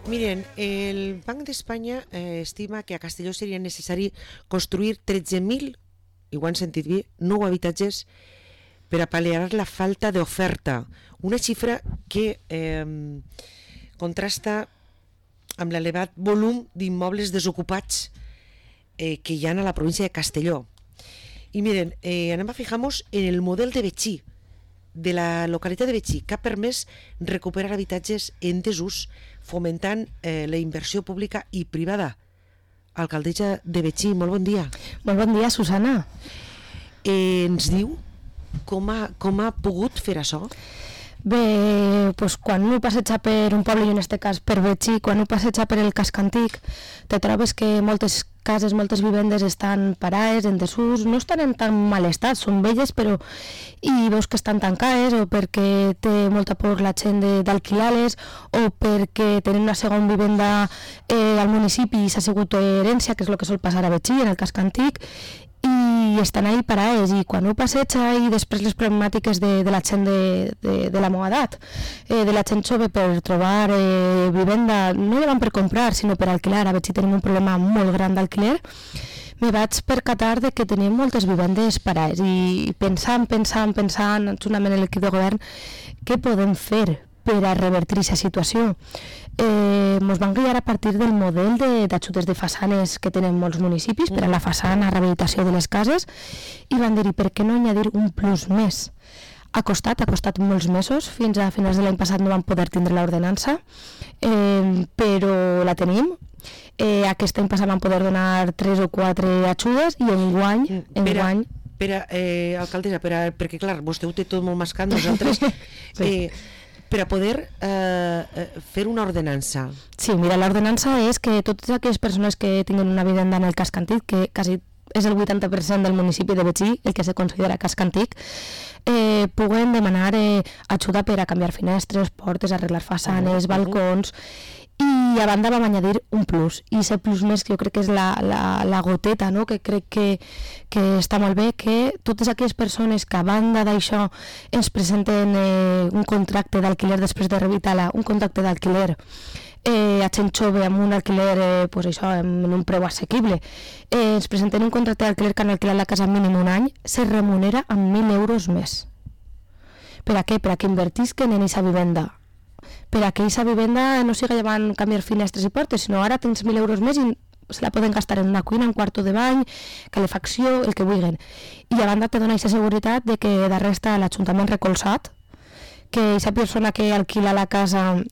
Miren, el Banc d'Espanya estima que a Castelló seria necessari construir 13.000, i ho han sentit bé, nou habitatges per a pal·liar la falta d'oferta. Una xifra que contrasta amb l'elevat volum d'immobles desocupats que hi ha a la província de Castelló. I miren, anem a fijar-nos en el model de Betxí, de la localitat de Betxí, que ha permès recuperar habitatges en desús, fomentant la inversió pública i privada. Alcaldessa de Betxí, molt bon dia. Molt bon dia, Susana. Ens diu com ha pogut fer això? Bé, doncs quan un passeja per un poble, i en aquest cas per Betxí, quan un passeja per el casc antic, te trobes que moltes cases, moltes vivendes estan parades, en desús, no estan en tan mal estat, són velles, però i veus que estan tancades, o perquè té molta por la gent d'alquilar-les, o perquè tenen una segona vivenda al municipi i s'ha sigut herència, que és el que sol passar a Betxí, en el casc antic, i estan ahí parades, i quan ho passeja, i després les problemàtiques de la gent de la meva edat, de la gent jove per trobar vivenda, no la van per comprar sinó per alquilar. A Betxí tenim un problema molt gran d'alquiler. Me vaig percatar de que tenim moltes vivendes parades i pensant, juntament amb l'equip de govern, què podem fer per a revertir aquesta situació. Ens van guiar a partir del model d'ajudes de façanes que tenen molts municipis per a la façana, rehabilitació de les cases, i van dir, per què no añadir un plus més? Ha costat molts mesos, fins a finals de l'any passat no vam poder tindre l'ordenança, però la tenim. Aquest any passat vam poder donar 3 o 4 ajudes, i enguany... Alcaldessa, perquè clar, vostè ho té tot molt mascat, nosaltres... Sí. Per a poder fer una ordenança. Sí, mira, l'ordenança és que totes aquelles persones que tinguin una vivenda en el casc antic, que quasi és el 80% del municipi de Betxí, el que se considera casc antic, puguen demanar ajuda per a canviar finestres, portes, arreglar façanes, balcons, i a banda vam añadir un plus, i aquest plus més que jo crec que és la goteta, no? Que crec que està molt bé, que totes aquelles persones que a banda d'això ens presenten un contracte d'alquiler després de rehabilitar-la, un contracte d'alquiler a gent jove amb un alquiler en un preu assequible, ens presenten un contracte d'alquiler que han alquilat la casa mínim un any, se remunera amb 1.000 euros més. Per a què? Per a que invertisquen en aquesta vivenda, per a que aquesta vivenda no siga llevant canviar finestres i portes, sinó ara tens 1.000 euros més i se la poden gastar en una cuina, un quarto de bany, calefacció, el que vulguin. I a banda te dona aquesta seguretat de que darrere està l'Ajuntament recolzat, que aquesta persona que alquila la casa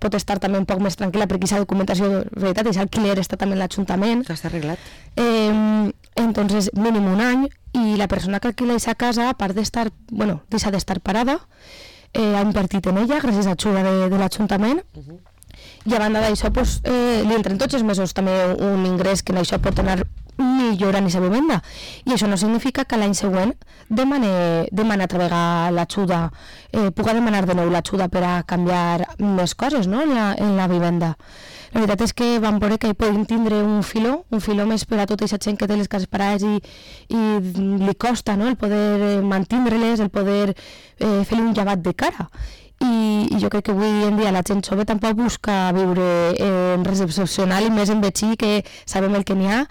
pot estar també un poc més tranquil·la perquè aquesta documentació, de veritat, aquest alquiler està també en l'Ajuntament. Està arreglat. Entonces, mínim un any, i la persona que alquila aquesta casa, a part d'estar, deixa d'estar parada, ha invertit en ella gràcies a l'ajuda de l'Ajuntament, i a banda d'això li entren tots els mesos també un ingrés que en això pot anar millorant aquesta vivenda, i això no significa que l'any següent demana altra vegada l'ajuda, puga demanar de nou l'ajuda per a canviar més coses, no? en la vivenda. La veritat és que vam veure que hi podem tindre un filó més per a tota aquesta gent que té les cases parades i li costa, no? El poder mantindre-les, el poder fer un llevat de cara. I jo crec que avui en dia la gent jove tampoc busca viure en res excepcional, i més en Betxí, que sabem el que n'hi ha,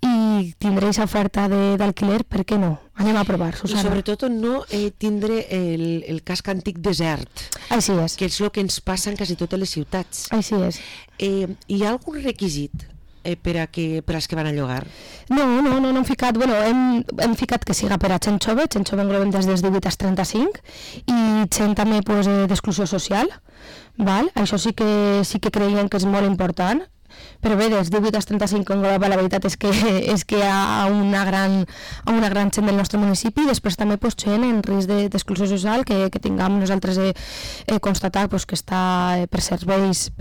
i tindre aquesta oferta d'alquiler, per què no? Anem a provar, Susana. I sobretot no tindre el casc antic desert. Així és. Que és el que ens passa en quasi totes les ciutats. Així és. Hi ha algun requisit per als que van a llogar? No hem ficat, hem ficat que siga per a gent jove englobem des dels 18 als 35, i gent també d'exclusió social, val? Això sí que creiem que és molt important. Però bé, dels 18 als 35 engloba, la veritat és que hi ha una gran gent del nostre municipi, i després també gent en risc d'exclusió social que tinguem nosaltres constatat que està pels serveis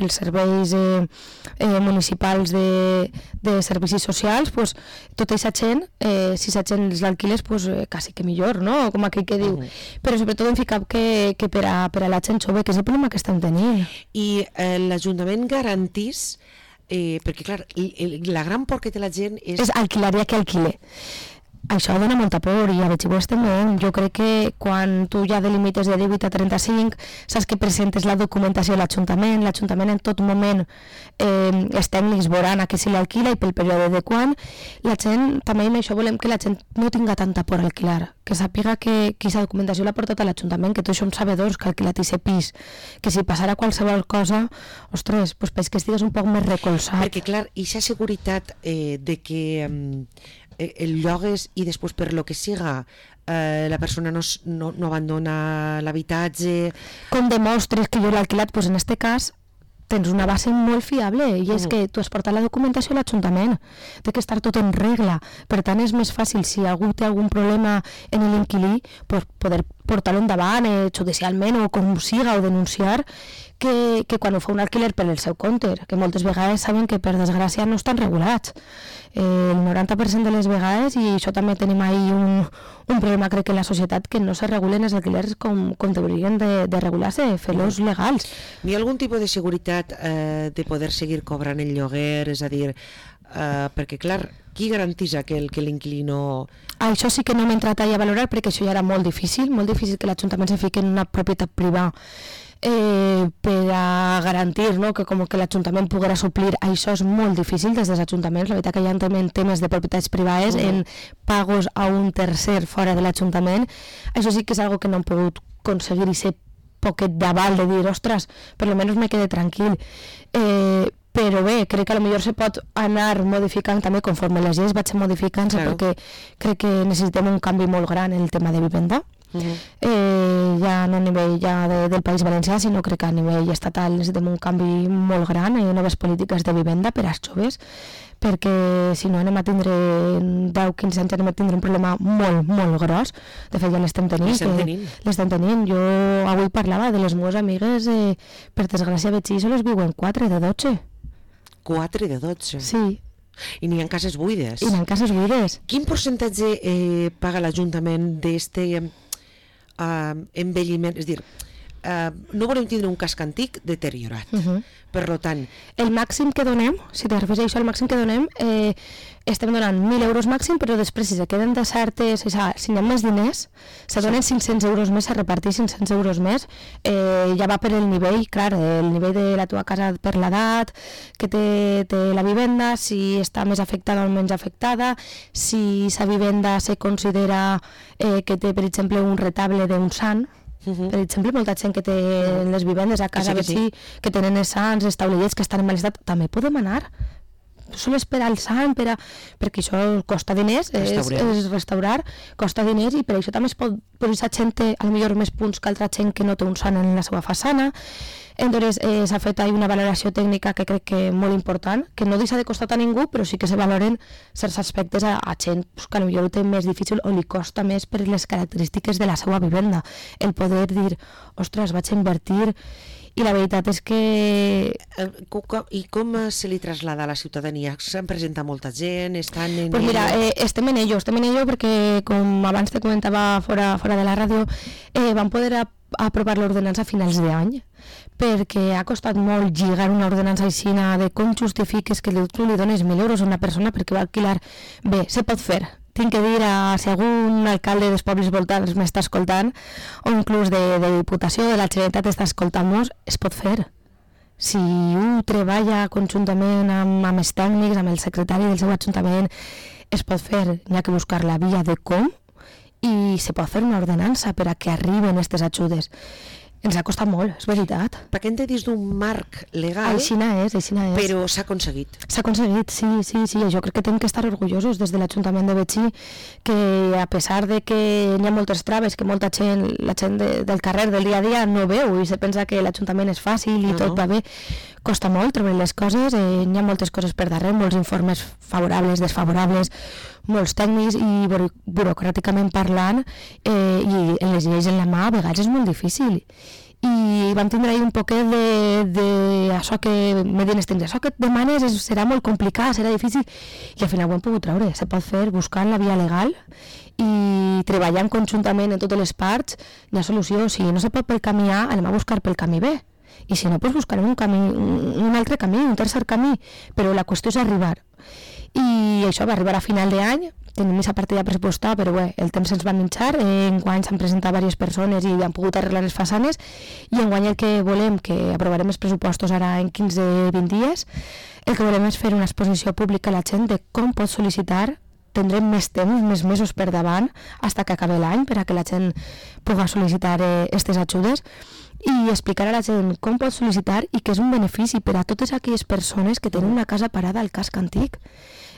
municipals de servicis socials, tota aquesta gent, si aquesta gent l'alquiles, quasi que millor, no? Com aquell que diu. Però sobretot hem ficat que per a la gent jove, que és el problema que estem tenint. I l'Ajuntament garantís, perquè clar, la gran por que té la gent és... És alquilaria que alquile. això dona molta por i a veure si també. Jo crec que quan tu ja delimites de 18 a 35 saps que presentes la documentació a l'Ajuntament en tot moment els tècnics veuran a què se l'alquila i pel període de quan. La gent, també amb això volem que la gent no tinga tanta por a alquilar, que sàpiga que aquesta documentació l'ha portat a l'Ajuntament, que tots som sabedors que ha alquilat aquest pis, que si passara qualsevol cosa, ostres, pues que estigues un poc més recolzat. Perquè clar, aquesta seguretat de que el llogues i després per lo que siga la persona no abandona l'habitatge. Com demostres que jo l'he alquilat? Pues en este cas tens una base molt fiable i és que tu has portat la documentació a l'Ajuntament, té que estar tot en regla, per tant és més fàcil si algú té algun problema en l'inquilí poder portar-lo endavant judicialment o com siga o denunciar que quan ho fa un alquiler per el seu compte, que moltes vegades saben que per desgràcia no estan regulats. El 90% de les vegades, i això també tenim ahí un problema crec que en la societat, que no se regulen els alquilers com deurien de regular-se, fer-los legals. N'hi ha algun tipus de seguretat de poder seguir cobrant el lloguer, és a dir, perquè clar, qui garantitza que l'inquilí no... Això sí que no m'he entrat a valorar perquè això ja era molt difícil que l'Ajuntament se fiqui en una propietat privada per a garantir, no, que com que l'Ajuntament poguera suplir. Això és molt difícil des dels ajuntaments. La veritat que hi ha temes de propietats privades en pagos a un tercer fora de l'Ajuntament. Això sí que és algo que no hem pogut aconseguir i ser poquet d'aval de dir, ostres, per almenys me quede tranquil. Però bé, crec que potser se pot anar modificant també conforme les lleis vagin modificant-se, perquè crec que necessitem un canvi molt gran en el tema de vivenda. Ja no a nivell del País Valencià, sinó crec que a nivell estatal necessitem un canvi molt gran i noves polítiques de vivenda per als joves, perquè si no anem a tindre 10-15 anys anem a tindre un problema molt, molt gros. De fet ja l'estem tenint. Jo avui parlava de les meves amigues, per desgràcia veig i sols viuen 4 de 12. 4 de 12? Sí. I n'hi ha cases buides? I n'hi ha cases buides. Quin percentatge paga l'Ajuntament d'este envelliment? És dir, no volem tindre un casc antic deteriorat. Per tant... El màxim que donem, si te refers a això, el màxim que donem, estem donant 1.000 euros màxim, però després si se queden de certes, si hi ha més diners, se donen 500 euros més, a repartir 500 euros més, ja va per el nivell, clar, el nivell de la teva casa per l'edat, que té la vivenda, si està més afectada o menys afectada, si sa vivenda se considera que té, per exemple, un retable d'un sant. Per exemple, molta gent que té les vivendes a casa que tenen els sants, els taulellets que estan en mal estat, també podem anar. Sol esperar el sant perquè això costa diners, és restaurar, costa diners, i per això també es pot posar gent potser més punts que altra gent que no té un sant en la seva façana. Entonces s'ha fet una valoració tècnica que crec que és molt important, que no deixa de costar a ningú, però sí que se valoren certs aspectes a gent que potser ho té més difícil o li costa més per les característiques de la seva vivenda. El poder dir, ostres, vaig a invertir. I la veritat és que... I com se li traslada a la ciutadania? S'han presentat molta gent? Pues mira, estem en ello perquè, com abans te comentava fora de la ràdio, vam poder aprovar l'ordenança a finals d'any, perquè ha costat molt lligar una ordenança així de com justifiques que tu li dones 1.000 euros a una persona perquè va alquilar. Bé, se pot fer. Tinc que dir, si algun alcalde dels pobles voltants m'està escoltant, o inclús de Diputació, de la Generalitat està escoltant-nos, es pot fer. Si un treballa conjuntament amb els tècnics, amb el secretari del seu ajuntament, es pot fer. N'hi ha que buscar la via de com, i se pot fer una ordenança per a que arriben aquestes ajudes. Ens ha costat molt, és veritat. Perquè hem de dir d'un marc legal, aixina és. Però s'ha aconseguit. S'ha aconseguit, sí. Jo crec que tenim que estar orgullosos des de l'Ajuntament de Betxí, que a pesar de que hi ha moltes traves, que molta gent, la gent del carrer del dia a dia no veu i se pensa que l'Ajuntament és fàcil i tot va bé, costa molt treure les coses, hi ha moltes coses per darrere, molts informes favorables, desfavorables, molts tècnics, i burocràticament parlant i en les lleis en la mà a vegades és molt difícil. I vam tindre ahí un poquet de això que me diuen els tècnics, això que et demanes serà molt complicat, serà difícil, i al final ho hem pogut treure. Se pot fer buscant la via legal i treballant conjuntament en totes les parts. Hi ha solució. Si no se pot pel camí A, anem a buscar pel camí B, i si no, doncs buscarem un altre camí, un tercer camí, però la qüestió és arribar. I això va arribar a final d'any, tenim aquesta partida pressupostada, però bé, el temps ens va minxar, enguany s'han presentat diverses persones i han pogut arreglar les façanes, i enguany el que volem, que aprovarem els pressupostos ara en 15-20 dies, el que volem és fer una exposició pública a la gent de com pot sol·licitar. Tindrem més temps, més mesos per davant, fins que acabi l'any, per a que la gent pugui sol·licitar aquestes ajudes, i explicar a la gent com pot sol·licitar i que és un benefici per a totes aquelles persones que tenen una casa parada al casc antic.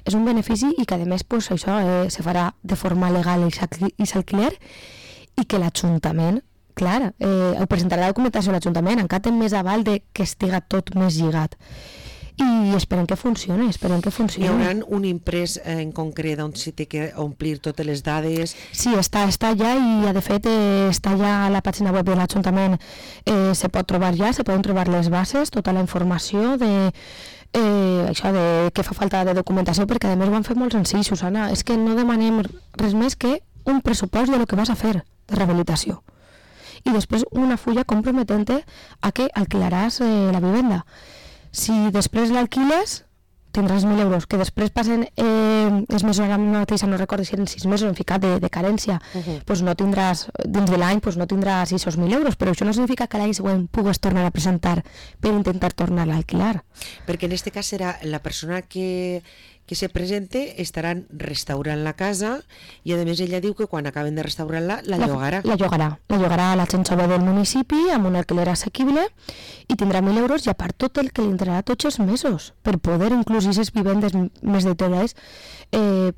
És un benefici i que a més pues, això se farà de forma legal i s'alquiler, i que l'Ajuntament, clar, ho presentarà la documentació a l'Ajuntament, encara té més aval de que estiga tot més lligat. I esperem que funcioni, Hi haurà un imprès en concret on s'hi té que omplir totes les dades? Sí, està allà i de fet està allà a la pàgina web de l'Ajuntament, se pot trobar ja, se poden trobar les bases, tota la informació de això de què fa falta de documentació, perquè a més ho han fet molt senzill, Susana, és que no demanem res més que un pressupost de lo que vas a fer de rehabilitació i després una fulla comprometent-te a que alquilaràs la vivenda. Si després l'alquiles, tindràs 1.000 euros, que després passen els mesos, ara mateixa no recordo si eren 6 mesos en ficat de carència, pues no tindràs, dins de l'any no tindràs esos 1.000 euros, però això no significa que l'any següent pugues tornar a presentar per intentar tornar a alquilar. Perquè en aquest cas serà la persona que se presente, estaran restaurant la casa i a més ella diu que quan acaben de restaurar-la la llogarà. La llogarà a la gent jove del municipi amb un alquiler assequible i tindrà 1.000 euros i a part tot el que li entrarà tots els mesos per poder inclús aquestes vivendes més deteriorades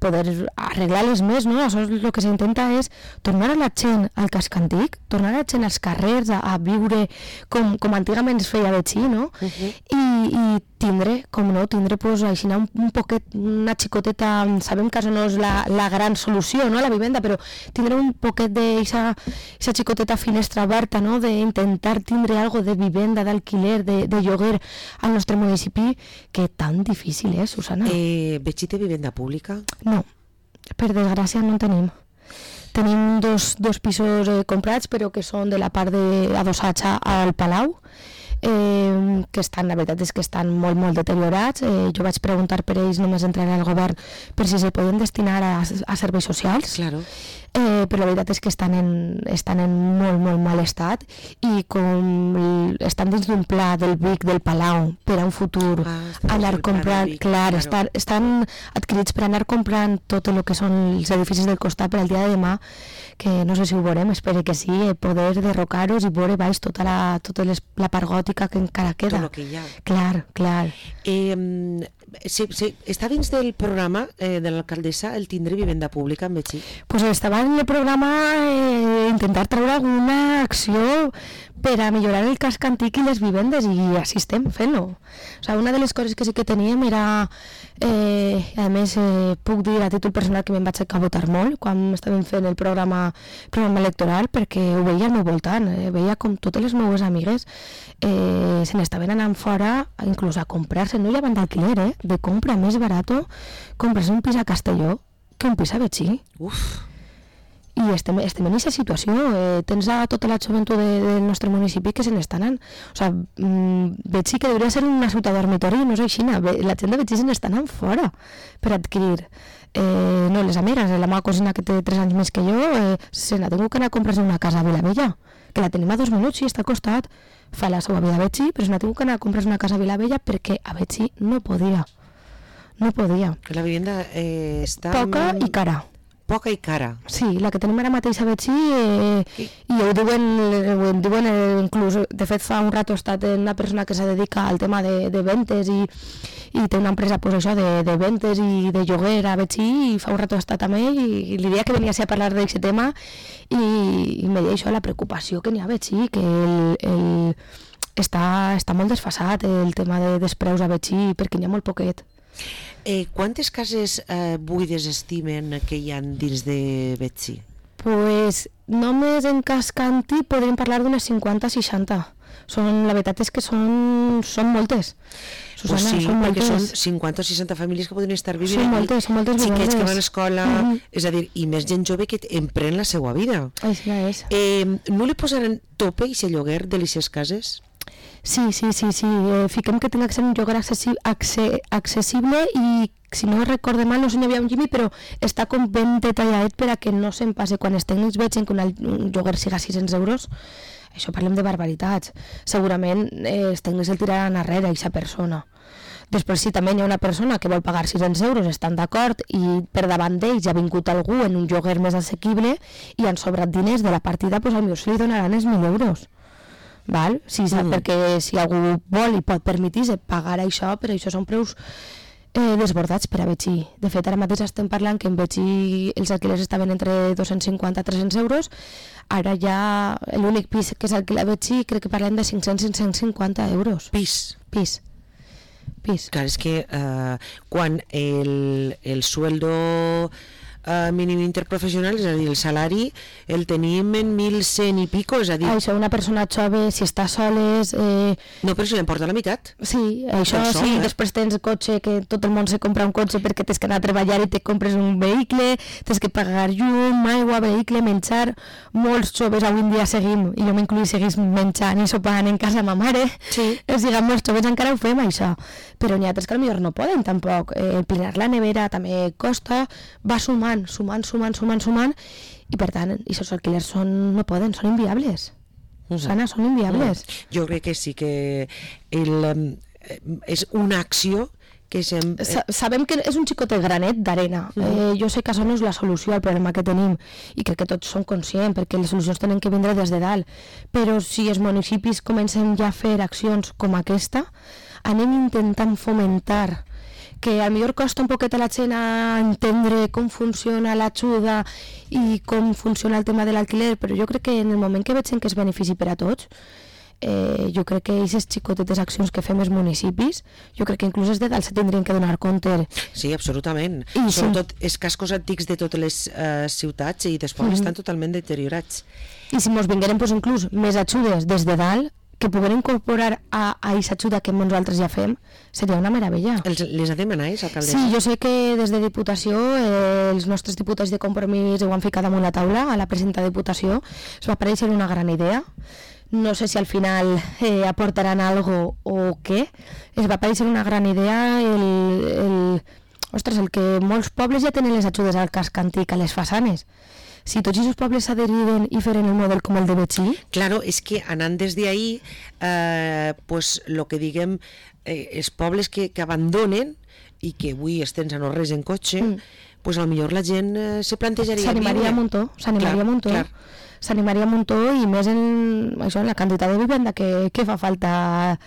poder arreglar-les més, no? Això és el que s'intenta és tornar a la gent al casc antic, tornar a la gent als carrers a viure com antigament es feia Betxí, no? I tindre, com no, pues, així un poquet, una xicoteta, sabem que això no és la gran solució, no?, a la vivenda, però tindre un poquet d'aquesta xicoteta finestra oberta, no?, d'intentar tindre algo de vivenda, d'alquiler, de lloguer al nostre municipi, que tan difícil és, Susana. Betxí té vivenda pública? No, per desgràcia no en tenim. Tenim dos pisos comprats, però que són de la part adossats al Palau, que estan, la veritat és que estan molt, molt deteriorats. Jo vaig preguntar per ells només entrar al govern per si se poden destinar a serveis socials. Claro. Però la veritat és que estan en molt, molt mal estat i com estan dins d'un pla del BIC del Palau per a un futur anar comprant, clar, estan adquirits per anar comprant tot el que són els edificis del costat per al dia de demà, que no sé si ho veurem, espero que sí, poder derrocar-los i veure baix tota la part gòtica que encara queda. Tot el que hi ha. Clar. Sí, està dins del programa de l'alcaldessa el tindre vivenda pública en Betxí? Pues estava en el programa intentar treure alguna acció per a millorar el casc antic i les vivendes, i així estem fent-ho. O sigui, una de les coses que sí que teníem era, a més puc dir a títol personal que me'n vaig a votar molt quan estàvem fent el programa electoral, perquè ho veia al meu voltant, veia com totes les meves amigues se n'estaven anant fora inclús a comprar-se, no llevant d'alquiler, de compra més barato, comprar-se un pis a Castelló que un pis a Betxí. I estem en aquesta situació. Tens a tota la joventut del nostre municipi que se n'estan anant. O sigui, Betxí, que hauria de ser una ciutat dormitori, no és així. La gent de Betxí se n'estan anant fora per adquirir. No, les amigues, la meva cosina que té 3 anys més que jo, se n'ha tingut que anar a comprar-se una casa a Vilavella, que la tenim a 2 minuts i està al costat, fa la seva vida a Betxí, però se n'ha tingut que anar a comprar-se una casa a Vilavella perquè a Betxí no podia. Que la vivenda està... Poca i cara. Poca i cara. Sí, la que tenim ara mateix a Betxí, i ho diuen inclús, de fet fa un rato ha estat una persona que se dedica al tema de ventes i té una empresa pues, això, de ventes i de lloguer a Betxí, i fa un rato ha estat amb ell i li deia que venia a parlar d'aquest tema i me deia això, la preocupació que n'hi ha a Betxí, que està molt desfasat el tema dels preus a Betxí perquè n'hi ha molt poquet. Quantes cases buides estimen que hi ha dins de Betxí? Pues només en casc antic podríem parlar d'unes 50-60. La veritat és que són moltes. Susana, sí, són perquè moltes. són 50 o 60 famílies que podrien estar vivint. Són moltes xiquets que van a l'escola, és a dir, i més gent jove que emprèn la seva vida. Així és. No li posaran tope i se lloguer de les cases? Sí. Fiquem que tinc que ser un lloguer accessible i, si no recorde mal, no sé si n'hi havia un Jimmy, però està com ben detalladet per a que no se'm passe. Quan els tècnics vegin que un lloguer siga 600 euros, això parlem de barbaritats. Segurament els tècnics el tiraran arrere, aquesta persona. Després, si també hi ha una persona que vol pagar 600 euros, estan d'acord, i per davant d'ells ha vingut algú en un lloguer més assequible i han sobrat diners de la partida, doncs potser li donaran els 1.000 euros. Val? Sí, perquè si algú vol i pot permetir-se pagar això, però això són preus desbordats per a Betxí. De fet, ara mateix estem parlant que en Betxí els alquilers estaven entre 250 i 300 euros, ara ja l'únic pis que s'alquila a Betxí crec que parlem de 500-550 euros. Pis. Clar, és que quan el sueldo mínim interprofessional, és a dir, el salari el tenim en 1.100 i pico, és a dir... Això, una persona jove, si està soles... No, però si l'emporta la meitat. Sí, això sí, després tens cotxe, que tot el món se compra un cotxe perquè tens que anar a treballar i te compres un vehicle, tens que pagar llum, aigua, vehicle, menjar... Molts joves avui en dia seguim, i jo m'incluï, seguís menjant i sopant en casa ma mare. Sí. O sigui, molts joves encara ho fem, això. Però n'hi ha altres que potser no poden, tampoc. Plenar la nevera també costa, va sumant, i per tant, aquests alquilers no poden, són inviables. Sana, són inviables. Jo crec que sí que és una acció que sabem que és un xicotet granet d'arena. Jo sé que això no és la solució al problema que tenim i crec que tots som conscients, perquè les solucions tenen que vindre des de dalt, però si els municipis comencem ja a fer accions com aquesta, anem intentant fomentar que a millor costa un poquet a la gent a entendre com funciona l'ajuda i com funciona el tema de l'alquiler, però jo crec que en el moment que veig que és benefici per a tots, jo crec que aquestes xicotetes accions que fem els municipis, jo crec que inclús des de dalt se tindrien que donar compte. Sí, absolutament. Sobretot els cascos antics de totes les ciutats i dels pobles estan totalment deteriorats. I si ens vingueren inclús més ajudes des de dalt, que poguem incorporar a aquesta ajuda que nosaltres ja fem, seria una meravella. Les ha demanat, alcaldessa? Sí, jo sé que des de Diputació els nostres diputats de Compromís ho han ficat damunt la taula, a la presenta Diputació, es va aparèixer una gran idea. No sé si al final aportaran algo o què. Es va aparèixer una gran idea el que molts pobles ja tenen les ajudes al casc antic a les façanes. Si tots aquests pobles s'adheriren i feren el model com el de Betxí... Claro, és que anant des d'ahí, pues, lo que diguem, els pobles que abandonen i que avui estem a no res en cotxe, pues a lo millor la gent se plantejaria... S'animaria un muntó. S'animaria un muntó i més en la quantitat de vivenda que fa falta.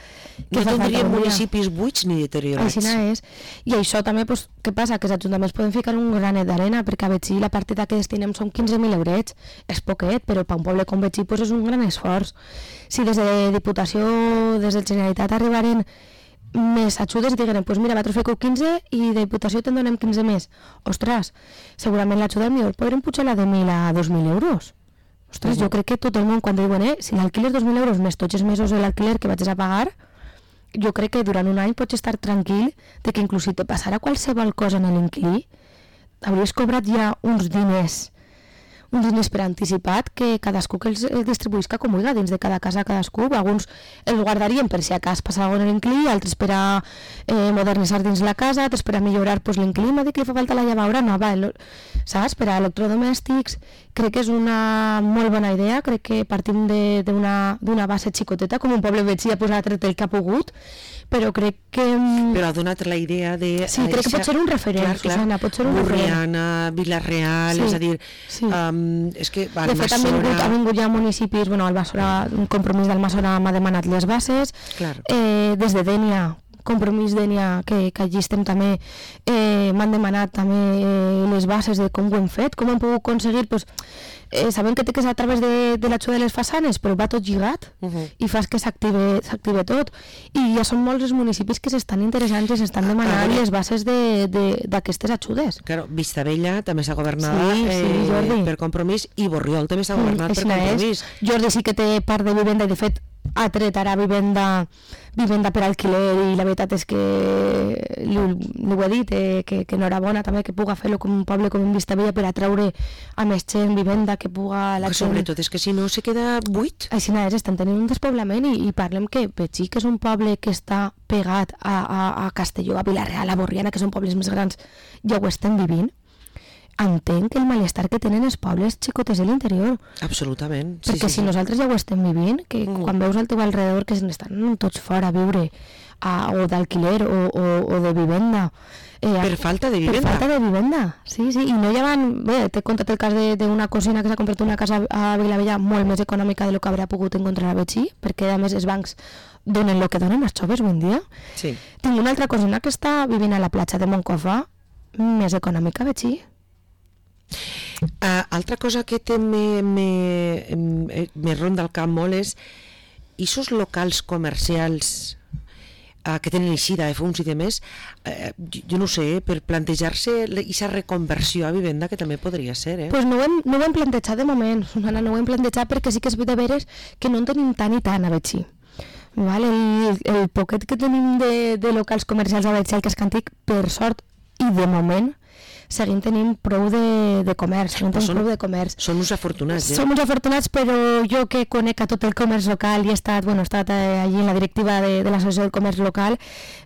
No tindríem municipis buits ni deteriorats. Així és. I això també, què passa? Que els ajuntaments poden ficar un granet d'arena, perquè a Betxí la partida que destinem són 15.000 eurets. És poquet, però per un poble com Betxí és un gran esforç. Si des de Diputació, des de Generalitat arribaren més ajudes i digueren, doncs mira, vosaltres feu 15 i de Diputació te'n donem 15 més. Ostres, segurament l'ajuda millor podrem pujar la de 1.000 a 2.000 euros. Ostres, jo crec que tot el món quan diuen, si l'alquiler és 2.000 euros més tots els mesos de l'alquiler que vaig a pagar, jo crec que durant un any pots estar tranquil de que inclús si te passarà qualsevol cosa en l'inquilí, hauries cobrat ja uns diners per anticipat que cadascú que els distribuïsca com vulgui dins de cada casa cadascú. Alguns els guardarien per si a cas passa alguna cosa en l'inquilí, altres per a modernitzar dins la casa, altres per a millorar l'inquilí, m'ha dit que li fa falta la llavadora nova, saps? Per a electrodomèstics. Crec que és una molt bona idea, crec que partim d'una base xicoteta, com un poble Betxí ha posat el que ha pogut, però crec que... Però ha donat la idea de... Sí, crec que pot ser un referent, Susana, pot ser un referent. Borriana, Vila-real, és a dir... És que de fet, ha vingut ja municipis, el Almassora, un compromís d'Almassora m'ha demanat les bases, des de Dènia, Compromís Dènia, que allí estem també, m'han demanat també les bases de com ho hem fet, com hem pogut aconseguir, sabem que té que ser a través de l'ajuda de les façanes, però va tot lligat i fas que s'active tot, i ja són molts els municipis que s'estan interessant i s'estan demanant les bases d'aquestes ajudes. Claro, Vistabella també s'ha governat per Compromís i Borriol també s'ha governat per Compromís. Jordi sí que té part de vivenda i de fet ha tret ara vivenda per alquiler, i la veritat és que li ho he dit, que enhorabona també que puga fer-lo com un poble com en Vistabella per atraure a més gent vivenda, que puga la gent... Sobretot és que si no se queda buit. Així és, estan tenint un despoblament i parlem que Betxí, que és un poble que està pegat a Castelló, a Vila-real, a Borriana, que són pobles més grans, ja ho estem vivint. Entenc el malestar que tenen els pobles xicotes de l'interior. Absolutament. Perquè si nosaltres ja ho estem vivint, que quan veus al teu alrededor que n'estan tots fora a viure, o d'alquiler o de vivenda. Per falta de vivenda. Per falta de vivenda, sí, i no ja van... Bé, t'he contat el cas d'una cosina que s'ha comprat una casa a Vilavella molt més econòmica de lo que haurà pogut encontrar a Betxí, perquè a més els bancs donen el que donen els joves avui en dia. Sí. Tinc una altra cosina que està vivint a la platja de Moncofa, més econòmica a Betxí. Altra cosa que me ronda el cap molt és aquests locals comercials que tenen eixida de fons i de més, jo no sé, per plantejar-se aquesta reconversió a vivenda, que també podria ser, Pues no ho hem plantejat de moment, Susana, no ho hem plantejat perquè sí que és de veres que no en tenim tant i tant a Betxí. Vale? El poquet que tenim de locals comercials a Betxí, al casc antic, per sort i de moment, seguim tenint prou de comerç, Són uns afortunats, Som uns afortunats, però jo que conec a tot el comerç local i he estat allí en la directiva de l'associació del comerç local,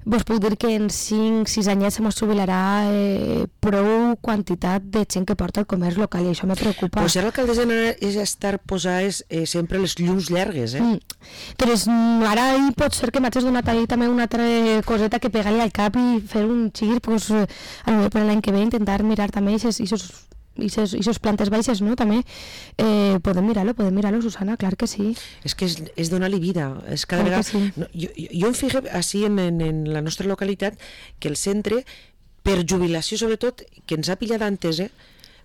vos puc dir que en 5-6 anyets se mos jubilarà prou quantitat de gent que porta el comerç local, i això me preocupa. Pues ara l'alcaldessa és estar posades sempre les llums llargues, Però ara pot ser que m'hagis donat ahir també una altra coseta que pegar-li al cap i fer un xir, pues, a lo per l'any que ve intentar mirar també aquestes plantes baixes, no? També podem mirar-lo, Susana, clar que sí. És que és donar-li vida, és cada vegada... Sí. No, jo em fijo així en la nostra localitat que el centre, per jubilació sobretot, que ens ha pillat antes,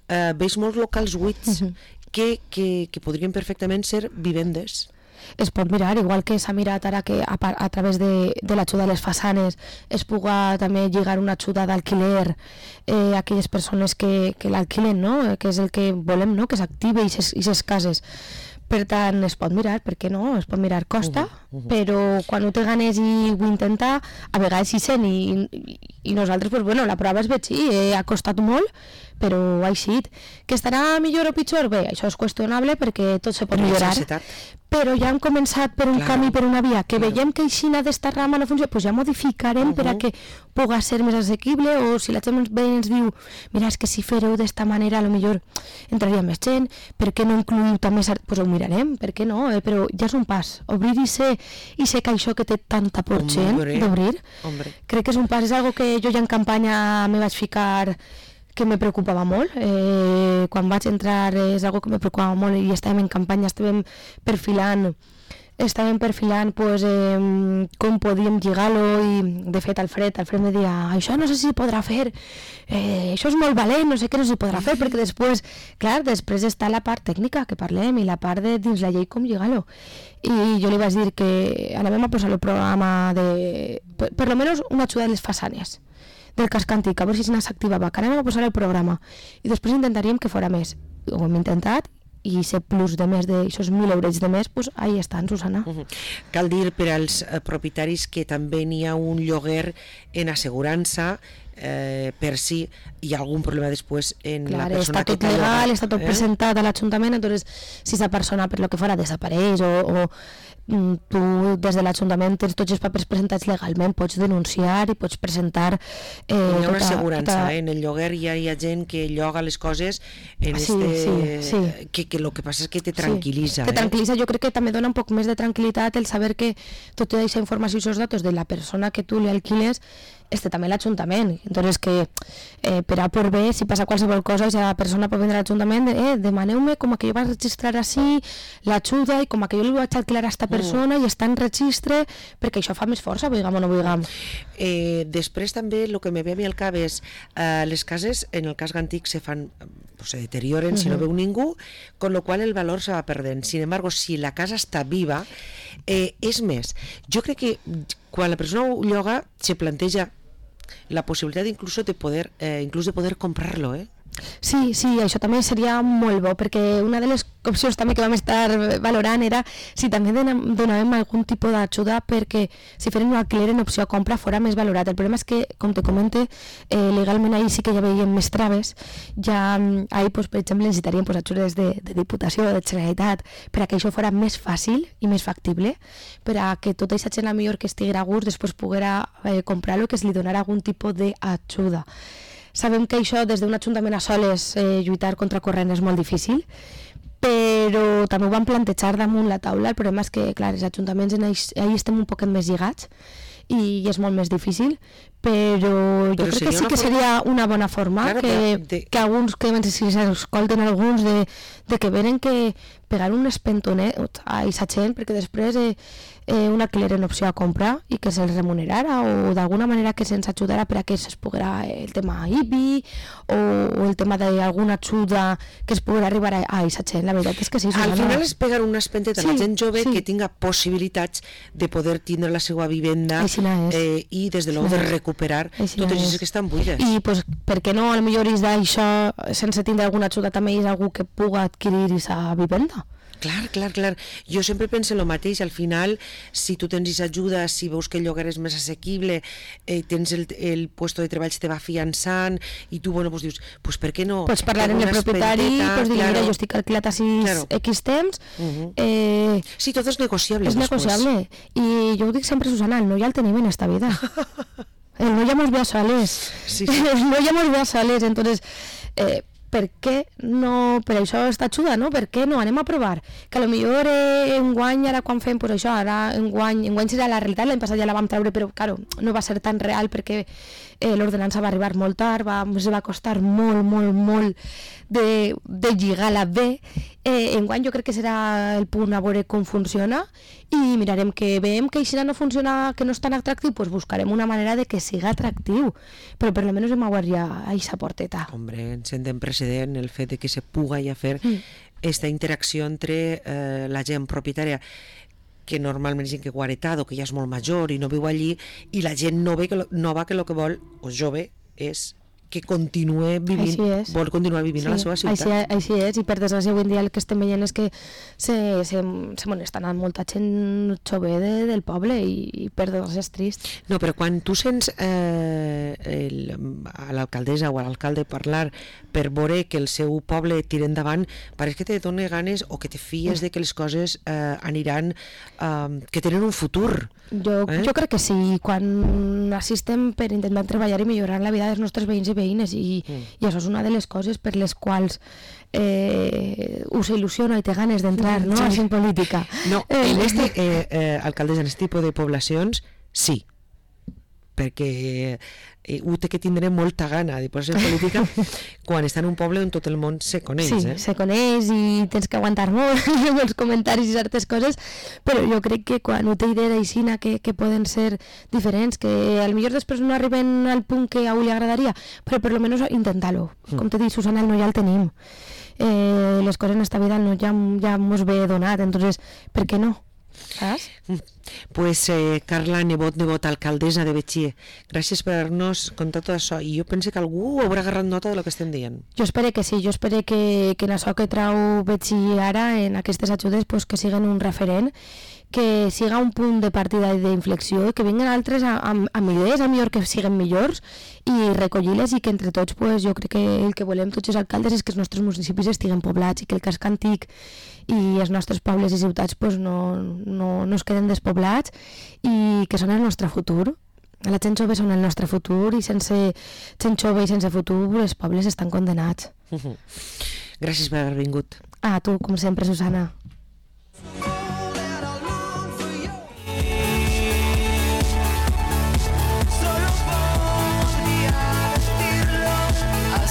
veig molts locals buits que podrien perfectament ser vivendes. Es pot mirar, igual que s'ha mirat ara que a través de l'ajuda a les façanes es puga també lligar una ajuda d'alquiler a aquelles persones que l'alquilen, no? Que és el que volem, no? Que s'active aquestes cases. Per tant, es pot mirar, per què no? Es pot mirar, costa, però quan ho té ganes i ho intenta, a vegades hi sent, i nosaltres, pues, bueno, la prova és Betxí, ha costat molt, però ha eixit. Que estarà millor o pitjor? Bé, això és qüestionable perquè tot se pot millorar, però ja hem començat per un camí, per una via, que veiem que aixina d'esta rama no funciona, doncs ja modificarem per a que pugui ser més assequible, o si la gent ens diu, mira, és que si fareu d'esta manera potser entraria més gent, per què no incluïu també, doncs ho mirarem, per què no, però ja és un pas, obrir i ser que això que té tanta por gent d'obrir, crec que és un pas, és algo que jo ja en campanya me vaig ficar, que me preocupava molt, quan vaig entrar és algo que me preocupava molt, i estàvem en campanya, estàvem perfilant pues, com podíem lligar-lo, i de fet Alfred me deia, això no sé si podrà fer, això és molt valent, no sé què no s'hi podrà fer, perquè després està la part tècnica que parlem i la part de dins la llei com lligar-lo, i jo li vaig dir que anem a posar el programa de, per lo menos una ajuda de les façanes del casc antic, a veure si s'activava, que anem a posar el programa, i després intentaríem que fora més. Ho hem intentat, i ser plus de més d'aixòs 1.000 euros de més, doncs ahí estan, Susana. Cal dir per als propietaris que també n'hi ha un lloguer en assegurança, per si hi ha algun problema després en la persona que està tot legal, està tot presentat a l'Ajuntament, entonces si esa persona per lo que fora desapareix o tu des de l'Ajuntament tens tots els papers presentats legalment, pots denunciar i pots presentar hi ha una assegurança, en el lloguer hi ha gent que lloga les coses en que el que passa és que te tranquil·litza. Te tranquil·litza, jo crec que també dona un poc més de tranquil·litat el saber que tota aquesta informació i aquests datos de la persona que tu li alquiles també l'Ajuntament, entonces que per A per B, si passa qualsevol cosa, la persona pot vindre a l'Ajuntament, demaneu-me com que jo vaig registrar així l'ajuda i com que jo li vaig alquilar a aquesta persona i està en registre, perquè això fa més força, vulguem o no vulguem. Després també el que me ve a mi al cap és les cases, en el cas antic se deterioren si no veu ningú, con lo qual el valor se va perdent. Sin embargo, si la casa està viva, és més, jo crec que quan la persona ho lloga se planteja la possibilitat inclús de poder comprar-lo, Sí, això també seria molt bo, perquè una de les opcions també que vam estar valorant era si també donàvem algun tipus d'ajuda perquè si feren un alquiler en opció a compra fora més valorat. El problema és que, com te comente, legalment ahir sí que ja veiem més traves. Ja ahir, per exemple, necessitaríem ajudes de Diputació, de Generalitat, per a que això fora més fàcil i més factible, per a que tota aquesta gent millor que estiguera a gust després poguera comprar-lo, que es li donara algun tipus d'ajuda. Sabem que això des d'un ajuntament a soles lluitar contra corrent és molt difícil, però també ho vam plantejar damunt la taula. El problema és que, clar, els ajuntaments ahir estem un poquet més lligats i és molt més difícil, però jo crec que sí que seria una bona forma, claro, que alguns, que si s'escolten alguns de que venen que pegar un espentonet a aquesta gent, perquè després un alquiler en opció a comprar i que se'ls remunerara o d'alguna manera que se'ns ajudara per a que es poguera el tema IBI o el tema d'alguna ajuda que es poguera arribar a aquesta gent. La veritat és que sí. Al final és pegar un espenteta a la gent jove que tinga possibilitats de poder tindre la seva vivenda i des de l'ou de recuperar totes les que estan buides. I pues, per què no, potser és d'això, sense tindre alguna ajuda també és algú que puga adquirir aquesta vivenda. Clar. Jo sempre penso el mateix. Al final, si tu tens ajuda, si veus que el lloguer és més assequible, tens el puesto de treball se te va fiançant i tu, bueno, pues dius, pues per què no? Pots parlar amb el propietari, pues dir, mira, jo estic alquilat a X temps. Sí, tot és negociable. És negociable. I jo ho dic sempre, Susana, el no ja el tenim en esta vida. El no ja mos ve a soles. El no ja mos ve a soles. Entonces, per què no, per això està ajuda, no? Per què no? Anem a provar. Que potser enguany, ara quan fem, pues això, ara enguany serà la realitat, l'any passat ja la vam treure, però, claro, no va ser tan real perquè l'ordenança va arribar molt tard, ens va costar molt de lligar-la bé. Enguany jo crec que serà el punt a veure com funciona i mirarem que veiem que això no funciona, que no és tan atractiu, pues buscarem una manera de que siga atractiu, però per almenys hem obert ja aquesta porteta. Hombre, ens en precedent el fet de que se puga ja fer esta interacció entre la gent propietària que normalment és gent que ha heretat o que ja és molt major i no viu allí, i la gent nova que el que vol, o jove, és que continue vivint, vol continuar vivint a la seva ciutat. Així és, i per desgràcia avui en dia el que estem veient és que se molesta anant molta gent jove del poble i per desgràcia és trist. No, però quan tu sents a l'alcaldessa o a l'alcalde parlar per veure que el seu poble tira endavant, pareix que te dona ganes o que te fies de que les coses aniran, que tenen un futur. Jo crec que sí, quan assistem per intentar treballar i millorar la vida dels nostres veïns i veïnes i això és una de les coses per les quals us il·lusiona i té ganes d'entrar en política. No, alcaldessa, en aquest tipus de poblacions sí, perquè ho té que tindre molta gana de posar-se en política quan està en un poble on tot el món se coneix. Sí, se coneix i tens que aguantar molt els comentaris i certes coses, però jo crec que quan ho té idea d'aixina que poden ser diferents, que potser després no arriben al punt que a ell li agradaria, però per almenys intentar-ho. Com t'he dit, Susana, el no ja el tenim. Les coses en esta vida no ja mos ve donat, entonces, per què no? ¿Sabes? Pues Carla Nebot, alcaldessa de Betxí, gràcies per haver-nos contat tot això, i jo penso que algú haurà agarrat nota del que estem dient. Jo espero que sí, jo espero que en això que trau Betxí ara, en aquestes ajudes, pues, que siguen un referent, que siga un punt de partida i d'inflexió, que vinguin altres amb idees, a millor que siguen millors, i recollir-les, i que entre tots, pues, jo crec que el que volem tots els alcaldes és que els nostres municipis estiguen poblats i que el casc antic i els nostres pobles i ciutats pues, no es queden despoblats i que són el nostre futur. La gent jove són el nostre futur i sense gent jove i sense futur els pobles estan condenats. Gràcies per haver vingut. A tu, com sempre, Susana.